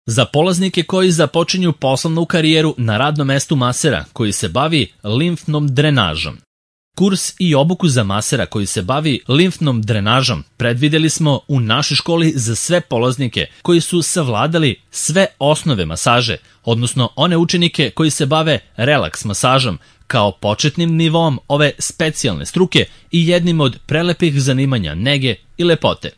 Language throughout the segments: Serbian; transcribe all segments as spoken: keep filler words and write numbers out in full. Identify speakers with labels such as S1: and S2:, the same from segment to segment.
S1: Za polaznike koji započinju poslovnu karijeru na radnom mestu masera koji se bavi limfnom drenažom. Kurs i obuku za masera koji se bavi limfnom drenažom predvideli smo u našoj školi za sve polaznike koji su savladali sve osnove masaže, odnosno one učenike koji se bave relaks masažom kao početnim nivom ove specijalne struke i jednim od prelepih zanimanja nege i lepote.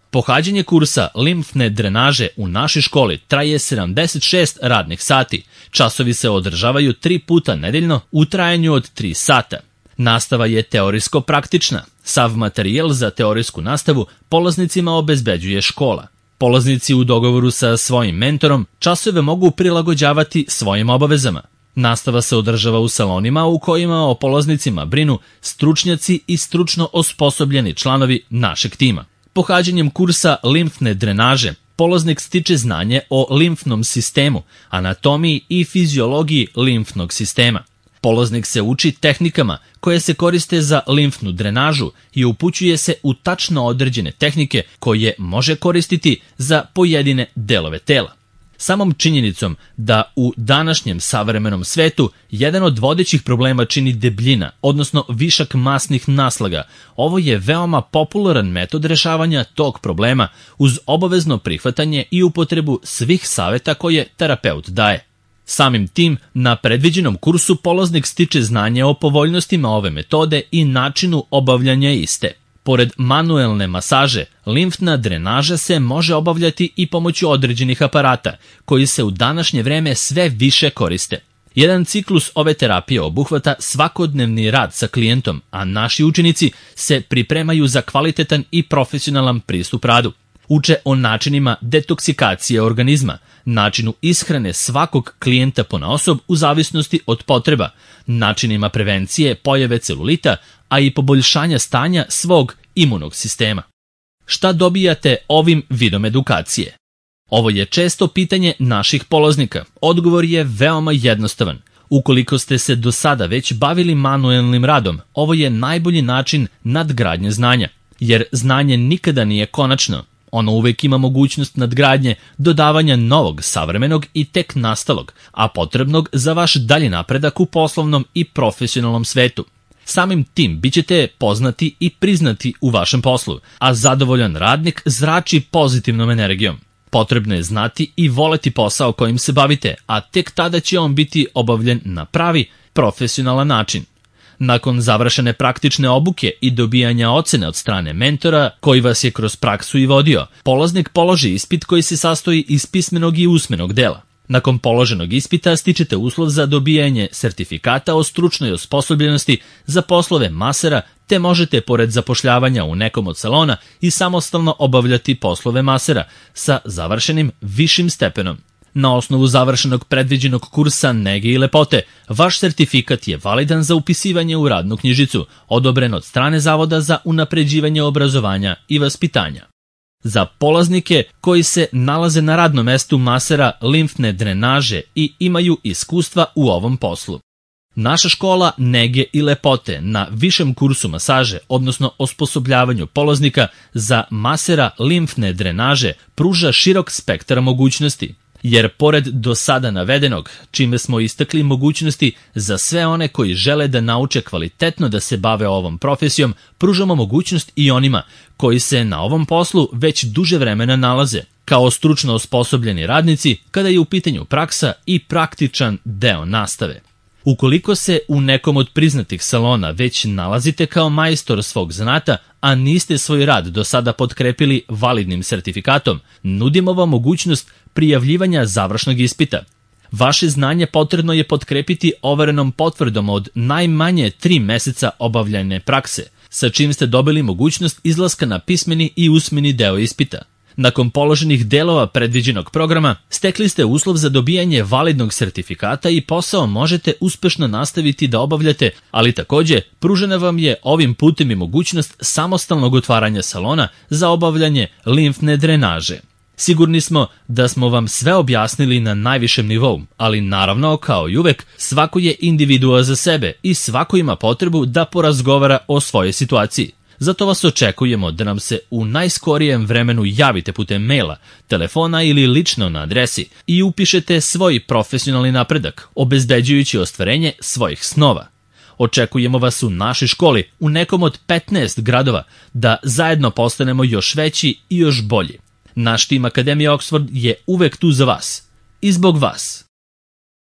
S1: Pohađanje kursa limfne drenaže u našoj školi traje sedamdeset šest radnih sati. Časovi se održavaju tri puta nedeljno u trajanju od tri sata. Nastava je teorijsko-praktična. Sav materijal za teorijsku nastavu polaznicima obezbeđuje škola. Polaznici u dogovoru sa svojim mentorom časove mogu prilagođavati svojim obavezama. Nastava se održava u salonima u kojima o polaznicima brinu stručnjaci i stručno osposobljeni članovi našeg tima. Pohađanjem kursa limfne drenaže polaznik stiče znanje o limfnom sistemu, anatomiji i fiziologiji limfnog sistema. Polaznik se uči tehnikama koje se koriste za limfnu drenažu i upućuje se u tačno određene tehnike koje može koristiti za pojedine delove tela. Samom činjenicom da u današnjem savremenom svetu jedan od vodećih problema čini debljina, odnosno višak masnih naslaga, ovo je veoma popularan metod rešavanja tog problema uz obavezno prihvatanje i upotrebu svih saveta koje terapeut daje. Samim tim, na predviđenom kursu polaznik stiče znanje o povoljnostima ove metode i načinu obavljanja iste. Pored manuelne masaže, limfna drenaža se može obavljati i pomoću određenih aparata, koji se u današnje vreme sve više koriste. Jedan ciklus ove terapije obuhvata svakodnevni rad sa klijentom, a naši učenici se pripremaju za kvalitetan i profesionalan pristup radu. Uče o načinima detoksikacije organizma, načinu ishrane svakog klijenta ponaosob u zavisnosti od potreba, načinima prevencije pojave celulita, a i poboljšanja stanja svog imunog sistema. Šta dobijate ovim vidom edukacije? Ovo je često pitanje naših polaznika. Odgovor je veoma jednostavan. Ukoliko ste se do sada već bavili manuelnim radom, ovo je najbolji način nadgradnje znanja, jer znanje nikada nije konačno. Ono uvek ima mogućnost nadgradnje, dodavanja novog, savremenog i tek nastalog, a potrebnog za vaš dalji napredak u poslovnom i profesionalnom svetu. Samim tim bit ćete poznati i priznati u vašem poslu, a zadovoljan radnik zrači pozitivnom energijom. Potrebno je znati i voleti posao kojim se bavite, a tek tada će on biti obavljen na pravi, profesionalan način. Nakon završene praktične obuke i dobijanja ocene od strane mentora, koji vas je kroz praksu i vodio, polaznik položi ispit koji se sastoji iz pismenog i usmenog dela. Nakon položenog ispita stičete uslov za dobijanje sertifikata o stručnoj osposobljenosti za poslove masera, te možete, pored zapošljavanja u nekom od salona, i samostalno obavljati poslove masera sa završenim višim stepenom. Na osnovu završenog predviđenog kursa nege i lepote, vaš sertifikat je validan za upisivanje u radnu knjižicu, odobren od strane Zavoda za unapređivanje obrazovanja i vaspitanja. Za polaznike koji se nalaze na radnom mestu masera limfne drenaže i imaju iskustva u ovom poslu. Naša škola nege i lepote na višem kursu masaže, odnosno osposobljavanju polaznika za masera limfne drenaže, pruža širok spektar mogućnosti. Jer pored do sada navedenog, čime smo istakli mogućnosti za sve one koji žele da nauče kvalitetno da se bave ovom profesijom, pružamo mogućnost i onima koji se na ovom poslu već duže vremena nalaze, kao stručno osposobljeni radnici kada je u pitanju praksa i praktičan deo nastave. Ukoliko se u nekom od priznatih salona već nalazite kao majstor svog zanata, a niste svoj rad do sada potkrepili validnim sertifikatom, nudimo vam mogućnost prijavljivanja završnog ispita. Vaše znanje potrebno je potkrepiti overenom potvrdom od najmanje tri meseca obavljene prakse, sa čim ste dobili mogućnost izlaska na pismeni i usmeni deo ispita. Nakon položenih delova predviđenog programa, stekli ste uslov za dobijanje validnog sertifikata i posao možete uspešno nastaviti da obavljate, ali takođe pružena vam je ovim putem i mogućnost samostalnog otvaranja salona za obavljanje limfne drenaže. Sigurni smo da smo vam sve objasnili na najvišem nivou, ali naravno, kao i uvek, svako je individua za sebe i svako ima potrebu da porazgovara o svojoj situaciji. Zato vas očekujemo da nam se u najskorijem vremenu javite putem maila, telefona ili lično na adresi i upišete svoj profesionalni napredak, obezbeđujući ostvarenje svojih snova. Očekujemo vas u našoj školi, u nekom od petnaest gradova, da zajedno postanemo još veći i još bolji. Naš tim Akademije Oxford je uvek tu za vas i zbog vas.